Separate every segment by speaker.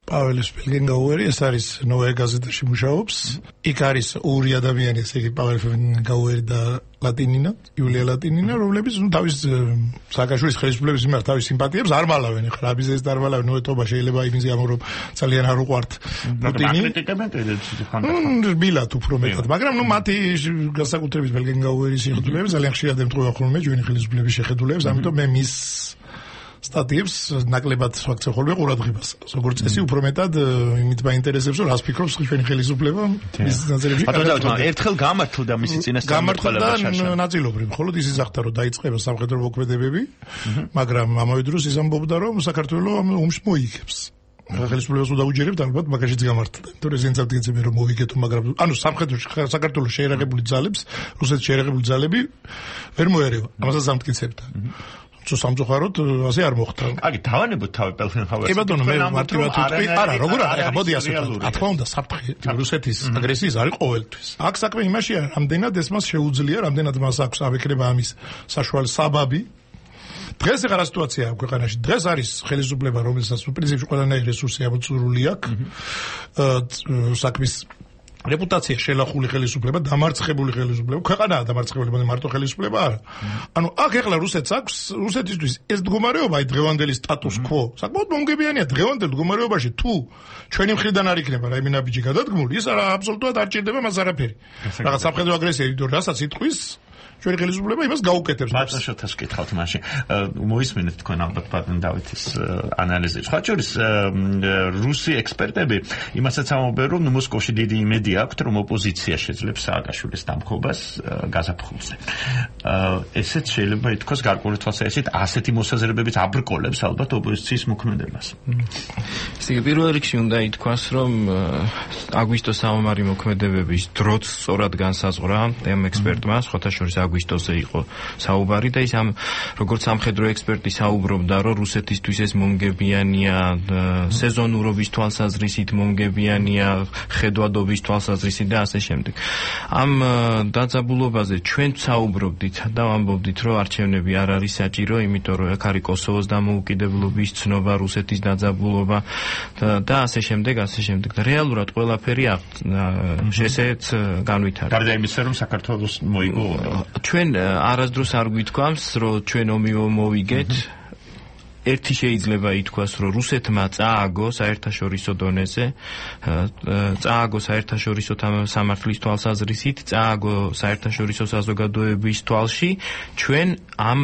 Speaker 1: პაველის ბელგენგაუერი, ეს არის ნოვაე გაზეთაში მუშაობს. იქ არის ორი ადამიანი, ესე იგი პაվել ბელგენგაუერი და ლატინინა, იულია ლატინინა, რომლებიც თავის სააკაშვილის ხელისუფლების მიმართ თავის სიმპათიებს არ მალავენ. ეხლა აბიზეს არ მალავენ, ნოეთობა შეიძლება იმის გამო რომ ძალიან არ უყვართ პუტინი. რბილად უფრო მეტად, მაგრამ მათი განსაკუთრებით ბელგენგაუერის შეხედულება ძალიან ხშირად ემთხვევა ხოლმე ჩვენი ხელისუფლების შეხედულებას, ამიტომ მე მის სტატიებს ნაკლებად ვაქცევ ხოლმე ყურადღებას. როგორც წესი, უფრო მეტად იმით მაინტერესებს, რომ რას ფიქრობს ჩვენი ხელისუფლება მის ნაწილებში.
Speaker 2: ერთხელ გამართლდა მისი წინასწარმეტყველება
Speaker 1: და ნაწილობრივ, ხოლო ის იზახთა, რომ დაიწყება სამხედრო მოქმედებები, მაგრამ ამავე დროს ის ამბობდა, რომ საქართველოს ამ ომს მოიგებს. ხელისუფლებას უდაუჯერებთ, ალბათ მაგაშიც გამართლდა. თორე ზენცად გეცემენ რომ მოვიგეთო, მაგრამ ანუ სამხედროში საქართველოს შეერაღებული ძალებს, რუსეთის შეერაღებული ძალები ვერ მოერევა. ამასაც ამტკიცებდა. სამწუხაროდ ასე არ მოხდა.
Speaker 2: აგი დავანებოთ თავი პელფენჰაუერს.
Speaker 1: კი ბატონო, მე მარტივად ვიტყვი, არა, როგორ არა, მოდი ასე ვთქვი. რა თქმა უნდა, საფრთხე რუსეთის აგრესიის არის ყოველთვის. აქ საქმე იმაშია, რამდენად ეს მას შეუძლია, რამდენად მას აქვს ავიქრება ამის საშუალო საბაბი. დღეს ეხლა რა სიტუაციაა ქვეყანაში? დღეს არის ხელისუფლება, რომელსაც პრინციპში ყველანაირი რესურსი ამოწურული აქვს. საქმის რეპუტაცია შელახული ხელისუფლება, დამარცხებული ხელისუფლება, ქვეყანაა დამარცხებული, მარტო ხელისუფლება არა. ანუ აქ ეხლა რუსეთს აქვს, რუსეთისთვის ეს მდგომარეობა, აი დღევანდელი სტატუს კვო, საკმაოდ მომგებიანია დღევანდელ მდგომარეობაში, თუ ჩვენი მხრიდან არ იქნება რაიმე ნაბიჯი გადადგმული, ის არა აბსოლუტურად არ ჭირდება მას არაფერი. რაღაც სამხედრო აგრესია, იმიტომ რასაც იტყვის ჩვენი ხელისუფლება იმას გაუკეთებს.
Speaker 2: ბატონშოთას ვკითხავთ მაშინ. მოისმენთ თქვენ ალბათ ბატონ დავითის ანალიზი. სხვა შორის რუსი ექსპერტები იმასაც ამბობენ, რომ მოსკოვში დიდი იმედი აქვთ, რომ ოპოზიცია შეძლებს სააკაშვილის დამხობას გაზაფხულზე. ესეც შეიძლება ითქვას გარკვეული თვალსაზრისით ასეთი მოსაზრებებით აბრკოლებს ალბათ ოპოზიციის მოქმედებას.
Speaker 3: ესე იგი პირველ რიგში უნდა ითქვას, რომ აგვისტოს საომარი მოქმედებების დროც სწორად განსაზღვრა ამ ექსპერტმა, სხვათა შორის აგვისტოზე იყო საუბარი და ის ამ როგორც სამხედრო ექსპერტი საუბრობდა, რომ რუსეთისთვის ეს მომგებიანია, სეზონურობის თვალსაზრისით მომგებიანია, ხედვადობის თვალსაზრისით და ასე შემდეგ. ამ დაძაბულობაზე ჩვენ საუბრობდით და ვამბობდით, რომ არჩევნები არ არის საჭირო, იმიტომ რომ აქ არის კოსოვოს დამოუკიდებლობის ცნობა, რუსეთის დაძაბულობა და ასე შემდეგ, ასე შემდეგ. და რეალურად ყველაფერი ესეც განვითარდა.
Speaker 2: გარდა იმისა, რომ საქართველოს მოიგო
Speaker 3: ჩვენ არასდროს არ გვითქვამს, რომ ჩვენ ომი მოვიგეთ. ერთი შეიძლება ითქვას, რომ რუსეთმა წააგო საერთაშორისო დონეზე, წააგო საერთაშორისო სამართლის თვალსაზრისით, წააგო საერთაშორისო საზოგადოების თვალში, ჩვენ ამ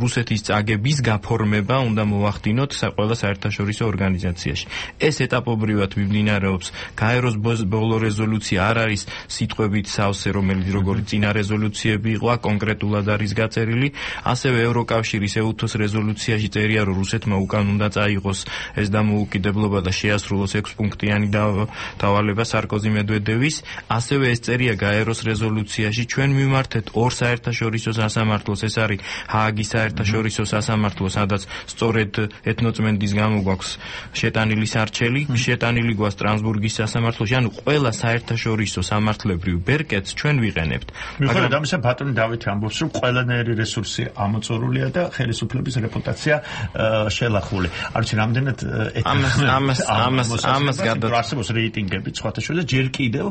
Speaker 3: რუსეთის წაგების გაფორმება უნდა მოვახდინოთ ყველა საერთაშორისო ორგანიზაციაში. ეს ეტაპობრივად მიმდინარეობს. გაეროს ბოლო რეზოლუცია არ არის სიტყვებით სავსე, რომელიც როგორც წინა რეზოლუციები იყო, კონკრეტულად არის გაწერილი, ასევე ევროკავშირის EUTOS რეზოლუცია წერია, რომ რუსეთმა უკან უნდა წაიღოს ეს დამოუკიდებლობა და შეასრულოს 6 პუნქტიანი დავალება სარკოზი მედვედევის, ასევე ეს წერია გაეროს რეზოლუციაში, ჩვენ მივმართეთ ორ საერთაშორისო სასამართლოს, ეს არის ჰააგის საერთაშორისო სასამართლო, სადაც სწორედ ეთნოწმენდის გამო გვაქვს შეტანილი სარჩელი, შეტანილი გვაქვს სტრასბურგის სასამართლოში, ანუ ყველა საერთაშორისო სამართლებრივ ბერკეტს ჩვენ ვიყენებთ.
Speaker 2: მაგრამ ამისა ბატონი დავითი ამბობს, რომ ყველანაირი რესურსი ამოწურულია და ხელისუფლების რეპუტაცია შელახული. არჩი რამდენად ამას გადაასწროს რეიტინგები სხვათა შორის ჯერ კიდევ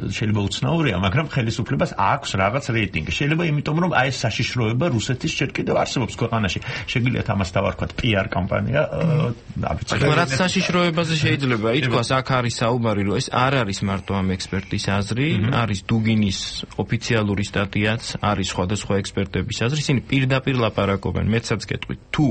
Speaker 2: შეიძლება უცნაურია, მაგრამ ხელისუფლებას აქვს რაღაც რეიტინგი. შეიძლება იმიტომ რომ აი ეს საშიშროება რუსეთის ჯერ კიდევ არსებობს ქვეყანაში. შეგიძლიათ ამას დავარქვათ PR კამპანია.
Speaker 3: რაც საშიშროებაზე შეიძლება ითქვას, აქ არის საუბარი, რომ ეს არ არის მარტო ამ ექსპერტის აზრი, არის დუგინის ოფიციალური სტატიაც, არის სხვადასხვა ექსპერტების აზრი, ისინი პირდაპირ ლაპარაკობენ, მეცაც გეტყვით, თუ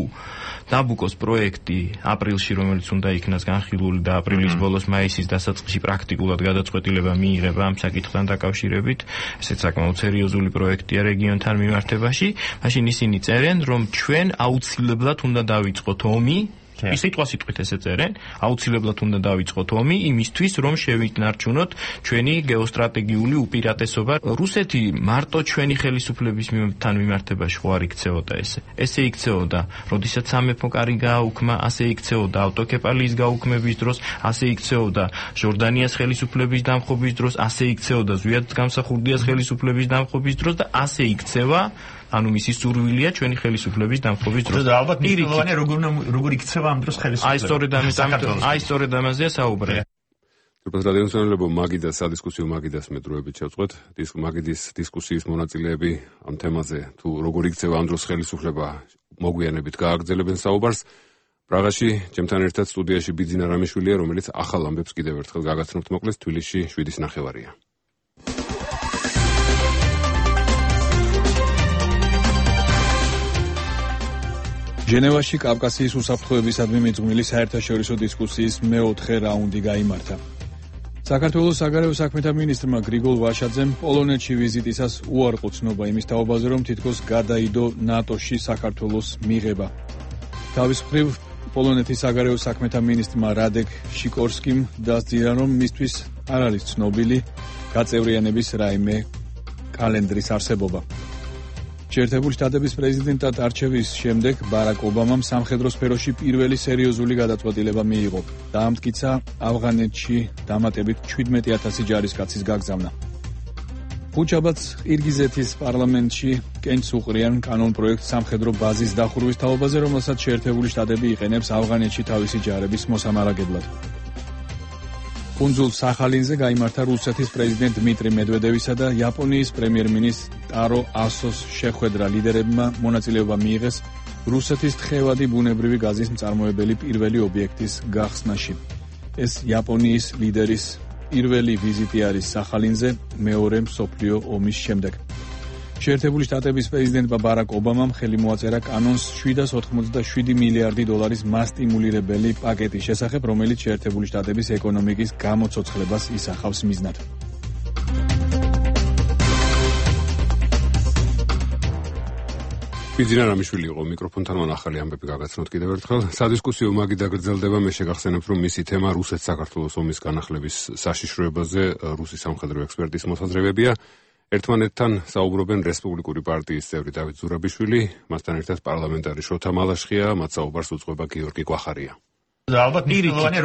Speaker 3: დაბუკოს პროექტი აპრილში, რომელიც უნდა იქნას განხილული და აპრილის ბოლოს მაისის დასაწყისში პრაქტიკულად გადაწყვეტილება მიიღება ამ საკითხთან დაკავშირებით, ესეც საკმაოდ სერიოზული პროექტია რეგიონთან მიმართებაში, მაშინ ისინი წერენ, რომ ჩვენ აუცილებლად უნდა დავიწყოთ ომი, ის სიტყვასიტყვით ესე წერენ, აუცილებლად უნდა დავიწყოთ ომი იმისთვის, რომ შევინარჩუნოთ ჩვენი გეოსტრატეგიული უპირატესობა. რუსეთი მარტო ჩვენი ხელისუფლებისთან მიმართებაში ხო არ იქცეოდა ესე. ესე იქცეოდა, როდესაც სამეფო კარი გააუქმა, ასე იქცეოდა ავტოკეპალიის გაუქმების დროს, ასე იქცეოდა ჟორდანიას ხელისუფლების დამხობის დროს, ასე იქცეოდა ზვიად გამსახურდიას ხელისუფლების დამხობის დროს და ასე იქცევა ანუ მისი სურვილია ჩვენი ხელისუფლების დამხობის დროს.
Speaker 2: და ალბათ მნიშვნელოვანია როგორ იქცევა ამ დროს ხელისუფლება.
Speaker 3: აი სწორედ ამაზეა საუბარი.
Speaker 4: Turpat რადიოსანელებო მაგიდას სადისკუსიო მაგიდას მეტროებით შევწყვეთ. მაგიდის დისკუსიის მონაწილეები ამ თემაზე თუ როგორ იქცევა ამ დროს ხელისუფლება მოგვიანებით გააგრძელებენ საუბარს. პრაღაში ჩემთან ერთად სტუდიაში ბიძინა რამიშვილია, რომელიც ახალ ამბებს კიდევ ერთხელ გაგაცნობთ მოკლეს თბილისში 7:09.
Speaker 5: ჟენევაში კავკასიის უსაფრთხოებისადმი მიძღვნილი საერთაშორისო დისკუსიის მეოთხე რაუნდი გაიმართა. საქართველოს საგარეო საქმეთა მინისტრმა გრიგოლ ვაშაძემ პოლონეთში ვიზიტისას უარყო ცნობა იმის თაობაზე, რომ თითქოს გადაიდო ნატოში საქართველოს მიღება. თავის მხრივ პოლონეთის საგარეო საქმეთა მინისტრმა რადეკ შიკორსკიმ დასძირა, რომ მისთვის არ არის ცნობილი გაწევრიანების რაიმე კალენდრის არსებობა. შეერთებული შტატების პრეზიდენტად არჩევის შემდეგ ბარაკ ობამამ სამხედრო სფეროში პირველი სერიოზული გადაწყვეტილება მიიღო. დაამტკიცა ავღანეთში დამატებით 17,000 ჯარისკაცის გაგზავნა. ხუჩაბაც ყირგიზეთის პარლამენტში კენჭს უყრიან კანონპროექტ სამხედრო ბაზის დახურვის თაობაზე, რომელსაც შეერთებული შტატები იყენებს ავღანეთში თავისი ჯარების მოსამარაგებლად. კუნძულ სახალინზე გაიმართა რუსეთის პრეზიდენტ დმიტრი მედვედევისა და იაპონიის პრემიერ-მინისტრ ტარო ასოს შეხვედრა. ლიდერებმა მონაწილეობა მიიღეს რუსეთის თხევადი ბუნებრივი გაზის მწარმოებელი პირველი ობიექტის გახსნაში. ეს იაპონიის ლიდერის პირველი ვიზიტი არის სახალინზე მეორე მსოფლიო ომის შემდეგ. შეერთებული შტატების პრეზიდენტმა ბარაკ ობამამ ხელი მოაწერა კანონს 787 მილიარდი დოლარის მასტიმულირებელი პაკეტის შესახებ, რომელიც შეერთებული შტატების ეკონომიკის გამოცოცხლებას ისახავს მიზნად.
Speaker 4: ბიძინა რამიშვილი იყო მიკროფონთან, მან ახალი ამბები გაგაცნოთ კიდევ ერთხელ. სადისკუსიო მაგიდა გრძელდება, მე შეგახსენებთ, რომ მისი თემა რუსეთ-საქართველოს ომის განახლების საშიშროებაზე რუსი სამხედრო ექსპერტის მოსაზრებებია. ერთმანეთთან საუბრობენ რესპუბლიკური პარტიის წევრი დავით ზურაბიშვილი, მასთან ერთად პარლამენტარი შოთა მალაშხია, მათ საუბარს უძღვება გიორგი კვახარია.
Speaker 2: და ალბათ მნიშვნელოვანია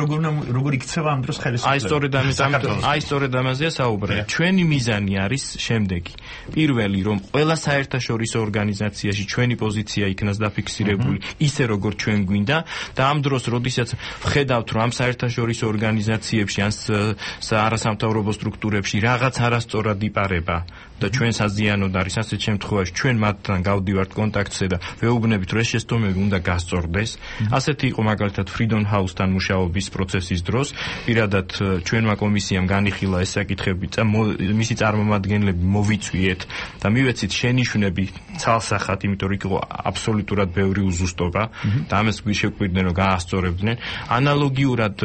Speaker 2: როგორ იქცევა ამ დროს ხელისუფლება.
Speaker 3: აი სწორედ ამაზეა საუბარი. ჩვენი მიზანი არის შემდეგი. პირველი, რომ ყველა საერთაშორისო ორგანიზაციაში ჩვენი პოზიცია იქნას დაფიქსირებული ისე როგორც ჩვენ გვინდა და ამ დროს როდესაც ვხედავთ, რომ ამ საერთაშორისო ორგანიზაციებში ან არასამთავრობო სტრუქტურებში რაღაც არასწორად იპარება და ჩვენს აზიანოდ არის ასეთ შემთხვევაში ჩვენ მათთან გავდივართ კონტაქტზე და ვეუბნებით, რომ ეს შეცდომები უნდა გასწორდეს. ასეთი იყო მაგალითად Freedom House-თან მუშაობის პროცესის დროს. პირადად ჩვენმა კომისიამ განიხილა ეს საკითხები და მისი წარმომადგენლები მოვიწვიეთ და მივეცით შენიშვნები ცალსახად, იმიტომ რომ იქ იყო აბსოლუტურად ბევრი უზუსტობა და ამას შეგვიყვირდნენ, რომ გაასწორებდნენ. ანალოგიურად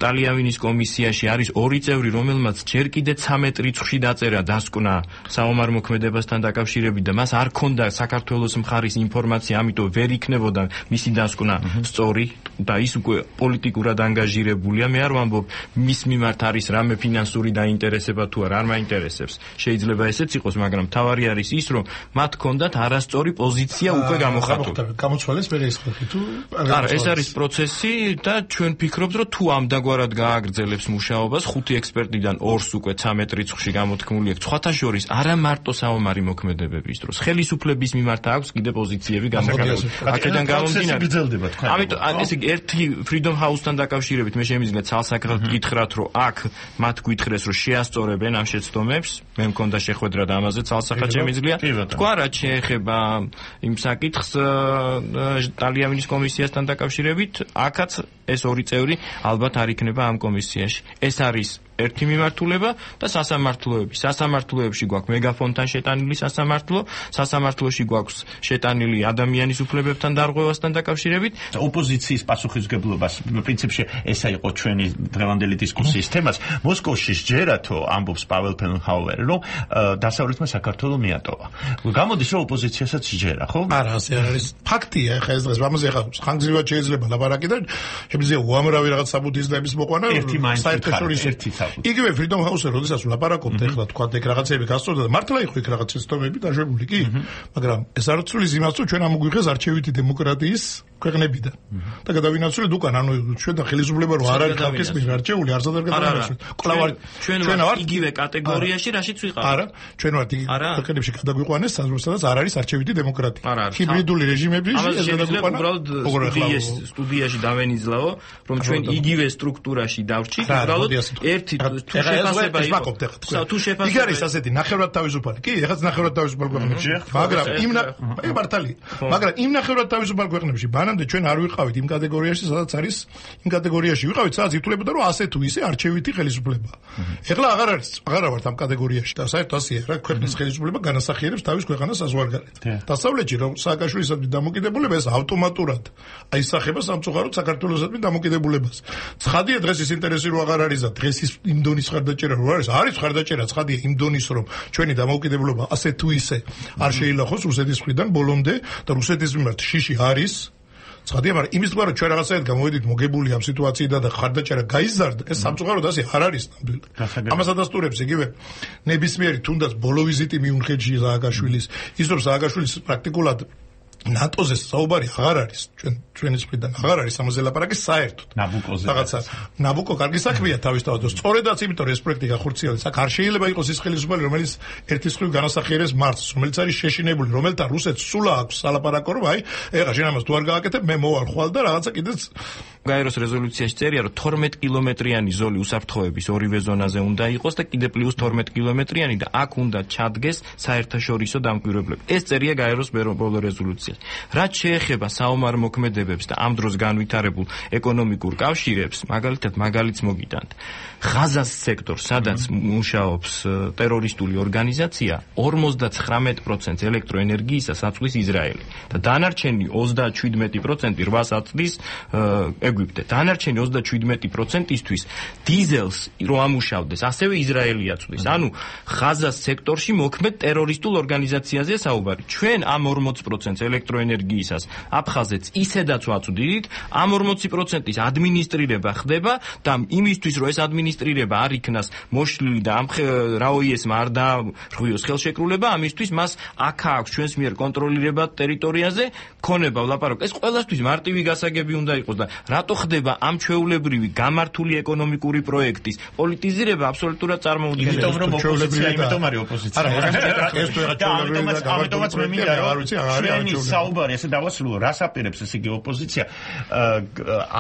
Speaker 3: ტალიამინის კომისიაში არის ორი წევრი, რომელმაც ჯერ კიდე 13 რიცხვში დაწერა დასკვნა საომარ მოქმედებასთან დაკავშირებით და მას არ ქონდა საქართველოს მხარის ინფორმაცია, ამიტომ ვერ იქნებოდა მისი დასკვნა სწორი და ის უკვე პოლიტიკურად ანგაჟირებულია. მე არ ვამბობ მის მიმართ არის რამე ფინანსური დაინტერესება თუ არ მაინტერესებს. შეიძლება ესეც იყოს, მაგრამ თავარი არის ის, რომ მათ ქონდათ არასწორი პოზიცია უკვე გამოხატული.
Speaker 1: გამოცვალეს მე ეს ხალხი თუ
Speaker 3: არა, ეს არის პროცესი და ჩვენ ფიქრობთ, რომ თუ ამდაგვარად გააგრძელებს მუშაობას, 5 ექსპერტიდან 2-ს უკვე 13 რიცხვში გამოთქმული აქვს. სხვათა შორის არა მარტო საომარი მოქმედებების დროს, ხელისუფლების მიმართ აქვს კიდე პოზიციები გამოხატული. აქედან გამომდინარე
Speaker 2: გრძელდება თქვენ.
Speaker 3: ამიტომ ესე იგი ერთი Freedom House-თან დაკავშირებით მე შემიძლია ცალსახად გითხრათ, რომ აქ მათ გითხრეს, რომ შეასწორებენ ამ შეცდომებს. მე მქონდა შეხვედრა და ამაზე ცალსახად შემიძლია თქვა, რაც შეეხება იმ საკითხს ტალიამინის კომისიასთან დაკავშირებით, აქაც ეს ორი წევრი ალბათ არ იქნება ამ კომისიაში. ეს არის ერთი მიმართულება და სასამართლოები. სასამართლოებში გვაქვს მეგაფონთან შეტანილი სასამართლოში გვაქვს შეტანილი ადამიანის უფლებებთან დარღვევასთან დაკავშირებით.
Speaker 2: ოპოზიციის პასუხისმგებლობას პრინციპში ესა იყო ჩვენი დღევანდელი დისკუსიის თემაც. მოსკოვში სჯერათო ამბობს პაվել ფელნჰაუერი, რომ დასავლეთმა საქართველოს მიატოვა. გამოდის რომ ოპოზიციასაც სჯერა, ხო?
Speaker 1: არა, ასე არის. ფაქტია, ხა ეს დღეს ამაზე ხა ხანგრძლივად შეიძლება ლაპარაკი და შემიძლია უამრავი რაღაც საბუთისდების მოყვანა საერთაშორისო იგივე Freedom House-ზე როდესაც ვლაპარაკობთ, ეხლა თქვა ეგ რაღაცები გასწორდა და მართლა იყო იქ რაღაც შეცდომები დაშვებული კი, მაგრამ ეს არ ცulis იმას, რომ ჩვენ ამოგვიღეს არჩევითი დემოკრატიის ქვეყნებიდან და გადავინაცვლეთ უკან ანუ ჩვენ და ხელისუფლება რო არ არის ხალხის მიერ არჩეული არც არ გადავინაცვლეთ კლავ
Speaker 3: ჩვენ ვართ იგივე კატეგორიაში რაშიც ვიყავით
Speaker 1: არა ჩვენ ვართ ქვეყნებში გადაგვიყვანეს სადაც არ არის არჩევითი დემოკრატია ჰიბრიდული რეჟიმები ეს გადაგვიყვანა
Speaker 3: უბრალოდ სტუდიაში დავენიძლაო რომ ჩვენ იგივე სტრუქტურაში დავრჩით უბრალოდ ერთი თუ შეფასება იყო თუ შეფასება
Speaker 1: იქ არის ასეთი ნახევრად თავისუფალი კი ეხაც ნახევრად თავისუფალი ქვეყნებში მაგრამ იმ ნახევრად თავისუფალ ქვეყნებში მანამდე ჩვენ არ ვიყავით იმ კატეგორიაში სადაც არის იმ კატეგორიაში ვიყავით სადაც ითვლებოდა რომ ასე თუ ისე არჩევითი ხელისუფლება ეხლა აღარ ვართ ამ კატეგორიაში და საერთოდ ასეა რა ქვეყნის ხელისუფლება განასახიერებს თავის ქვეყანას საზღვარგარეთ დასავლეთში რომ სააკაშვილისადმი დამოკიდებულება ეს ავტომატურად აისახება სამწუხაროდ საქართველოსადმი დამოკიდებულებას ცხადია დღეს ის ინტერესი რო აღარ არის და დღეს ის იმ დონის ხარდაჭერა რო არის ხარდაჭერა ცხადია იმ დონის რომ ჩვენი დამოკიდებულება ასე თუ ისე არ შეიძლება რუსეთის მხრიდან ბოლომდე და რუსეთის მიმართ შიში არის ცხადია მაგრამ იმის თქმა რომ ჩვენ რაღაცაად გამოვედით მოგებული ამ სიტუაციიდან და ხარდაჭერა გაიზარდა ეს სამწუხაროდ ასე არ არის ნამდვილად ამას ადასტურებს იგივე ნებისმიერი თუნდაც ბოლო ვიზიტი მიუნხენში სააკაშვილის ის რომ სააკაშვილის პრაქტიკულად ნატოზე საუბარი აღარ არის ჩვენი მხრიდან აღარ არის ამაზე ლაპარაკი საერთოდ
Speaker 2: ნაბუკოზე
Speaker 1: რაღაცა ნაბუკო კარგი საქმეა თავისთავად სწორედაც იმიტომ რომ ეს პროექტი გახორციელდეს აქ არ შეიძლება იყოს ის ხელისუფალი რომელიც ერთის მხრივ განასახიერებს მართლს რომელიც არის შეშინებული რომელთან რუსეთს სულ აქვს სალაპარაკო რომ აი ეხლა შენ ამას თუ არ გააკეთებ მე მოვალ ხვალ და რაღაცა კიდეც
Speaker 3: გაეროს რეზოლუციაში წერია რომ 12 კილომეტრიანი ზოლი უსაფრთხოების ორივე ზონაზე უნდა იყოს და კიდე პლუს 12 კილომეტრიანი და აქ უნდა ჩადგეს საერთაშორისო დამკვირვებლები ეს წერია გაეროს ბოლო რეზოლუციაში რაც შეეხება საომარ მოქმედებებს და ამ დროს განვითარებულ ეკონომიკურ კავშირებს მაგალითად მაგალითს მოგიტანთ ღაზას სექტორ სადაც მუშაობს ტერორისტული ორგანიზაცია 59% ელექტროენერგიისას აწვდის ისრაელი და დანარჩენი 37% რვას აწვდის ეგვიპტე დანარჩენი 37%-ისთვის დიზელს რო ამუშავდეს ასევე ისრაელი აწვდის ანუ ღაზას სექტორში მოქმედ ტერორისტულ ორგანიზაციაზეა საუბარი ჩვენ ამ 40% ელექტროენერგიისას აფხაზეთს ისედაც ვაწვდით ამ 40%-ის ადმინისტრირება ხდება და იმისთვის რომ ეს ადმინისტრირება არ იქნას მოშლილი და ამ რაოიესმა არ დაარღვიოს ხელშეკრულება ამისთვის მას აქ აქვს ჩვენს მიერ კონტროლირება ტერიტორიაზე ქონება ვლაპარაკ ეს ყველასთვის მარტივი გასაგები უნდა იყოს და რატო ხდება ამ ჩვეულებრივი გამართული ეკონომიკური პროექტის პოლიტიზირება აბსოლუტურად წარმოუდგენელია
Speaker 2: იმიტომ რომ ოპოზიცია იმიტომ არის ოპოზიცია
Speaker 1: ეს თუ რაღაც ჩვეულებრივი და
Speaker 2: ამიტომაც მე მინდა რომ ჩვენი საუბარი ესე დავასრულო რას აპირებს ეს იგი ოპოზიცია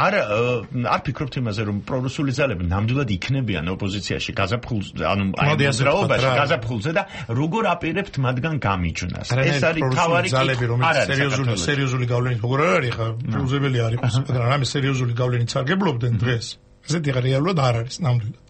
Speaker 2: არ ფიქრობთ იმაზე რომ პრორუსული ძალები ნამდვილად იქნებიან ოპოზიციაში გაზაფხულზე ანუ აი მოძრაობაში გაზაფხულზე და როგორ აპირებთ მათგან გამიჯვნას ეს არის თავარი
Speaker 1: ძალები რომელიც სერიოზული გავლენით როგორ არ არის ხა უზებელი არ იყოს მაგრამ ამის სერიოზული გავლენით სარგებლობდნენ დღეს ესეთი რეალურად არ არის ნამდვილად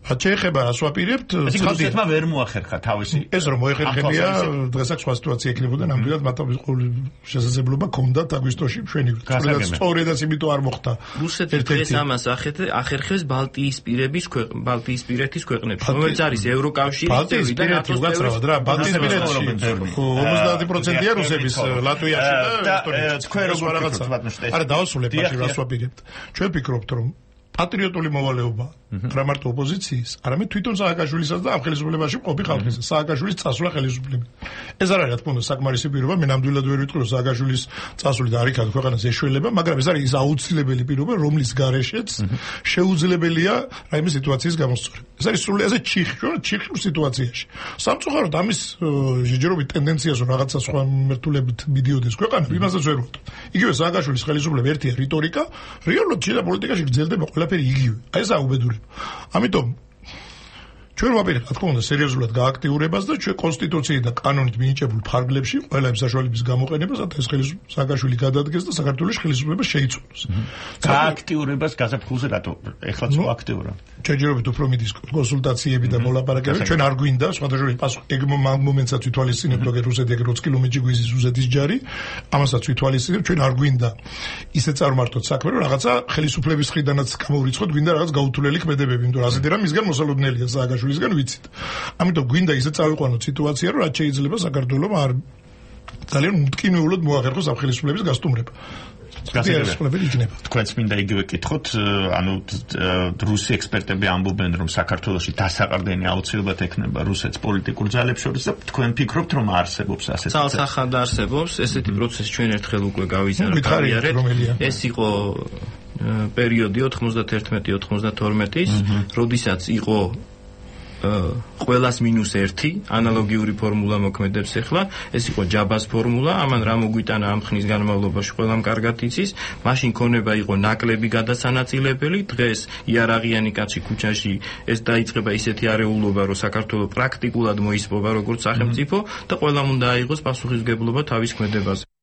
Speaker 1: შეეხება რას ვაპირებთ
Speaker 2: ცხადია ვერ მოახერხა თავისი
Speaker 1: ეს რომ მოეხერხებია დღეს აქ სხვა სიტუაცია ექნებოდა ნამდვილად მათთვის ყოველი შესაძლებლობა ჰქონდათ აგვისტოში მშვენივრად სწორედაც იმიტომ არ მოხდა
Speaker 3: რუსეთი დღეს ამას ახერხებს ბალტიისპირეთის ქვეყნებში რომელიც არის ევროკავშირის წევრი და ნატოს წევრი
Speaker 1: რა ბალტიისპირეთში 50%-ია რუსების ლატვიაში და
Speaker 2: თქვენ როგორ რაღაცა
Speaker 1: არა დავასრულებ მაშინ რას ვაპირებთ ჩვენ ვფიქრობთ რომ პატრიოტული მოვალეობა რა მარტო ოპოზიციის, არამედ თვითონ სააკაშვილისაც და ამ ხელისუფლებაში მყოფი ხალხის სააკაშვილის წასვლა ხელისუფლება. ეს არ არის რა თქმა უნდა საკმარისი პირობა, მე ნამდვილად ვერ ვიტყვი რომ სააკაშვილის წასვლით არ იქნება ქვეყანას ეშველება, მაგრამ ეს არის ის აუცილებელი პირობა, რომლის გარეშეც შეუძლებელია რაიმე სიტუაციის გამოსწორება. ეს არის სრულად ასე ჩიხურ სიტუაციაში. სამწუხაროდ ამის ჯერჯერობით ტენდენციას რომ რაღაცა სხვა მიმართულებით მიდიოდეს ქვეყანა, იმასაც ვერ ვუტყ. იგივე სააკაშვილის ხელისუფლება ერთია რიტორიკა, რეალურად შეიძლება პოლიტიკაში გრძელდება ყველაფერი იგივე. აი ეს აუბედურება. ამიტომ ჩვენ ვაპირებთ, რა თქმა უნდა, სერიოზულად გააქტიურებას და ჩვენ კონსტიტუციით და კანონით მინიჭებულ ფარგლებში ყველა იმ საშუალების გამოყენებას, რათა ეს სააკაშვილი გადადგეს და საქართველოს ხელისუფლება შეიცვალოს.
Speaker 2: გააქტიურებას გაზაფხულზე რატო? ეხლაც მოაქტიურა.
Speaker 1: ჯერჯერობით უფრო მიდის კონსულტაციები და მოლაპარაკებები. ჩვენ არ გვინდა სხვადასხვა პასუხი ეგ მომენტსაც ვითვალისწინებთ, რომ რუსეთი ეგ 20 კილომეტრში გვიზის რუსეთის ჯარი, ამასაც ვითვალისწინებთ, ჩვენ არ გვინდა ისე წარმართოთ საქმე, რომ რაღაცა ხელისუფლების მხრიდანაც გამოვრიცხოთ, გვინდა რაღაც გაუთვლელი ქმედებები, იმიტომ რომ ასეთი რამ მისგან მოსალოდნელია სააკაშვილისგან ვიცით. ამიტომ გვინდა ისე წავიყვანოთ სიტუაცია, რომ რაც შეიძლება საქართველოს არ ძალიან მტკივნეულად მოახერხოს ამ ხელისუფლების გასტუმრება. გასაგებია იქნება.
Speaker 2: თქვენც მინდა იგივე კითხოთ, ანუ რუსი ექსპერტები ამბობენ, რომ საქართველოში დასაყრდენი აუცილებლად ექნება რუსეთს პოლიტიკურ ძალებს შორის და თქვენ ფიქრობთ, რომ არსებობს ასეთი პროცესი?
Speaker 3: ცალსახად არსებობს, ესეთი პროცესი ჩვენ ერთხელ უკვე გავიზარდეთ. ეს იყო პერიოდი 91-92-ის, როდესაც იყო ყველას -1 ანალოგიური ფორმულა მოქმედებს ახლა, ეს იყო ჯაბას ფორმულა, ამან რა მოგვიტანა ამ ხნის განმავლობაში ყველამ კარგად იცის, მაშინ ქონება იყო ნაკლები გადასანაწილებელი, დღეს იარაღიანი კაცი ქუჩაში ეს დაიწყება ისეთი არეულობა, რომ საქართველოს პრაქტიკულად მოისპობა როგორც სახელმწიფო და ყველამ უნდა აიღოს პასუხისმგებლობა თავის ქმედებაზე.